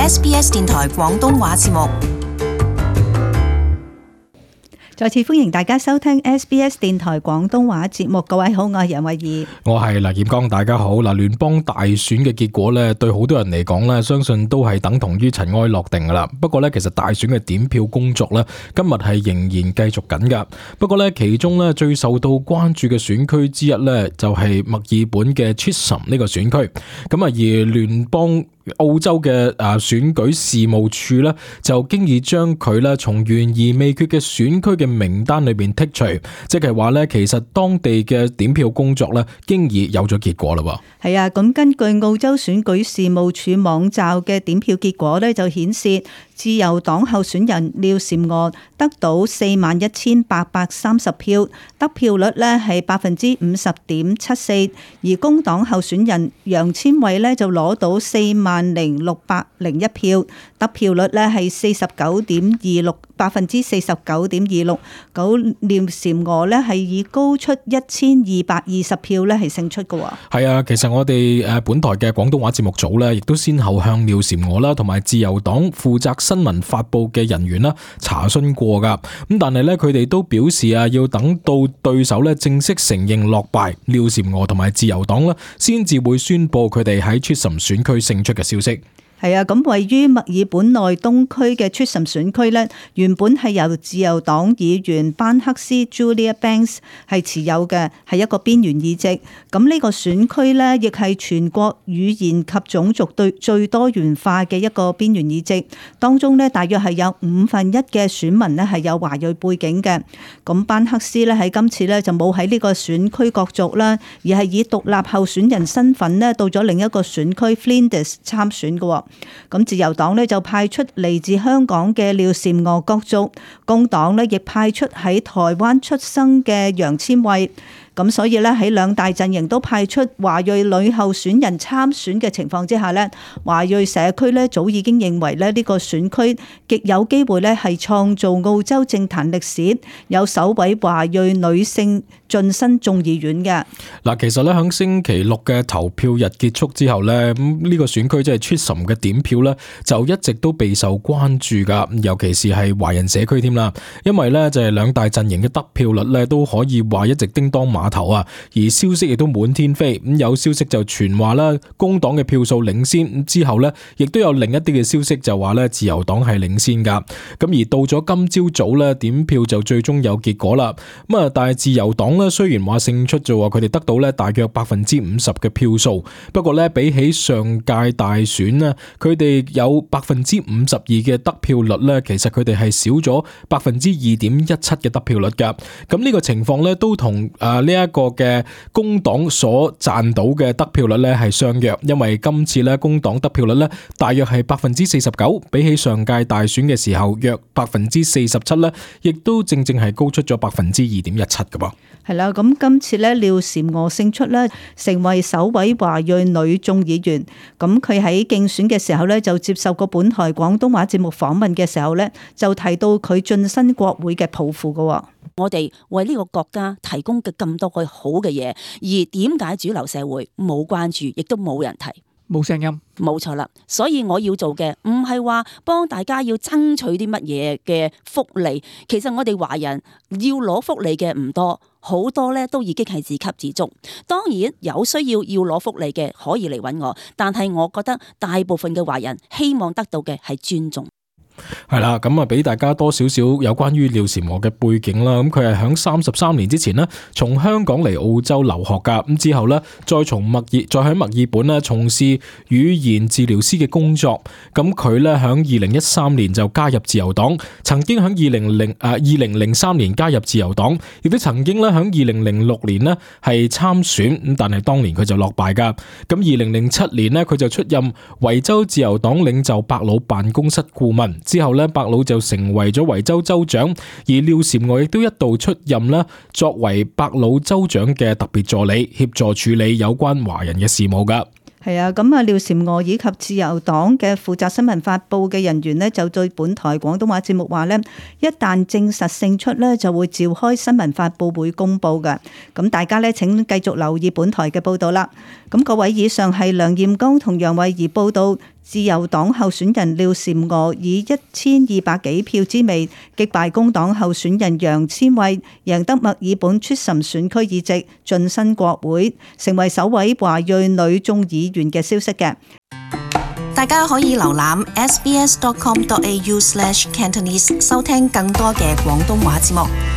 SBS 電台廣東話節目。再次歡迎大家收聽 SBS 電台廣東話節目。各位好，我係楊慧儀，我係黎劍剛。大家好。嗱，聯邦大選嘅結果咧，對好多人嚟講咧，相信都係等同於塵埃落定噶啦。不過咧，其實大選嘅點票工作咧，今日係仍然繼續緊噶。不過咧，其中咧最受到關注嘅選區之一咧，就係墨爾本嘅 Chisholm 呢個選區。咁啊，而聯邦澳洲嘅選舉事務處咧，就經已將佢咧從懸而未決嘅選區嘅名單裏邊剔除，即係話咧，其實當地嘅點票工作咧，經已有咗結果啦。係啊，咁根據澳洲選舉事務處網站嘅點票結果咧，就顯示自由黨候選人廖嬋娥得到41,830票，得票率咧係50.74%，而工黨候選人楊千卉咧就攞到40,601票，得票率咧係49.26%。咁廖嬋娥咧係以高出1220票咧係勝出嘅。係啊，其實我哋本台嘅廣東話節目組咧，亦都先後向廖嬋娥啦同埋自由黨負責新聞發佈嘅人員啦查詢過噶。咁但係咧，佢哋都表示要等到對手咧正式承認落敗，廖嬋娥同埋自由黨啦先至會宣佈佢哋喺 Chisholm 選區勝出嘅消息。係啊，咁位於墨爾本內東區嘅 Chisholm 選區咧，原本係由自由黨議員班克斯 Julia Banks 係持有嘅，係一個邊緣議席。咁呢個選區咧，亦係全國語言及種族最多元化嘅一個邊緣議席。當中咧，大約係有1/5嘅選民咧係有華裔背景嘅。咁班克斯咧喺今次咧就冇喺呢個選區角逐啦，而係以獨立候選人身份咧到咗另一個選區 Flinders 參選嘅。咁自由黨咧就派出嚟自香港嘅廖嬋娥角逐，工黨咧亦派出喺台灣出生嘅楊千卉。咁所以咧喺兩大陣營都派出華裔女候選人參選嘅情況之下咧，華裔社區咧早已經認為咧呢個選區極有機會咧係創造澳洲政壇歷史，有首位華裔女性晉身眾議院嘅。嗱，其實咧喺星期六嘅投票日結束之後咧，呢個選區即係 Chisholm 嘅點票咧，就一直都備受關注噶，尤其是係華人社區添啦，因為咧就係兩大陣營嘅得票率咧都可以話一直叮當馬頭啊，而消息亦都滿天飛。咁有消息就傳話啦，工黨嘅票數領先，之後咧亦都有另一啲嘅消息就話咧自由黨係領先噶。咁而到咗今朝早咧，點票就最終有結果啦。咁啊，但係自由黨咧雖然話勝出咗，佢哋得到咧大約50%嘅票數，不過咧比起上屆大選咧，佢哋有52%嘅得票率咧，其實佢哋係少咗2.17%嘅得票率噶。咁呢個情況咧都同呢一個嘅工黨所賺到嘅得票率咧係相若，因為今次咧工黨得票率咧大約係49%，比起上屆大選嘅時候約47%咧，亦都正係高出咗2.17%噶噃。係啦，咁今次咧廖嬋娥勝出咧，成為首位華裔女眾議員。咁佢喺競選嘅時候咧，就接受過本台廣東話節目訪問嘅時候咧，就提到佢晉身國會嘅抱負噶。我哋為呢個國家提供嘅咁多個好嘅嘢，而點解主流社會冇關注，亦都冇人提，冇聲音？冇錯啦，所以我要做嘅唔係話幫大家要爭取啲乜嘢嘅福利，其實我哋華人要攞福利嘅唔多，好多咧都已經係自給自足。當然有需要攞福利嘅可以嚟揾我，但係我覺得大部分嘅華人希望得到嘅係尊重。係啦，咁啊俾大家多少少有關於廖嬋娥嘅背景啦。咁佢係響33年之前呢，從香港嚟澳洲留學噶。咁之後呢，再喺墨爾本呢從事語言治療師嘅工作。咁佢呢，響2013年就加入自由黨，曾經響2003年加入自由黨，亦都曾經咧響2006年呢係參選。咁但係當年佢就落敗噶。咁2007年呢，佢就出任維州自由黨領袖伯魯辦公室顧問。之後咧，伯魯就成為咗維州州長，而廖嬋娥亦都一度出任啦，作為伯魯州長嘅特別助理，協助處理有關華人嘅事務噶。係啊，咁啊，廖嬋娥以及自由黨嘅負責新聞發佈嘅人員呢，就對本台廣東話節目話呢，一旦證實勝出呢，就會召開新聞發佈會公佈嘅。咁大家呢，請繼續留意本台嘅報道啦。咁各位，以上係梁艷剛同楊慧儀報道自由黨候選人廖嬋娥以1200幾票之微擊敗工黨候選人楊千卉，贏得墨爾本出什選區議席，晉身國會，成為首位華裔女眾議員嘅消息嘅。大家可以瀏覽 sbs.com.au/cantonese 收聽更多嘅廣東話節目。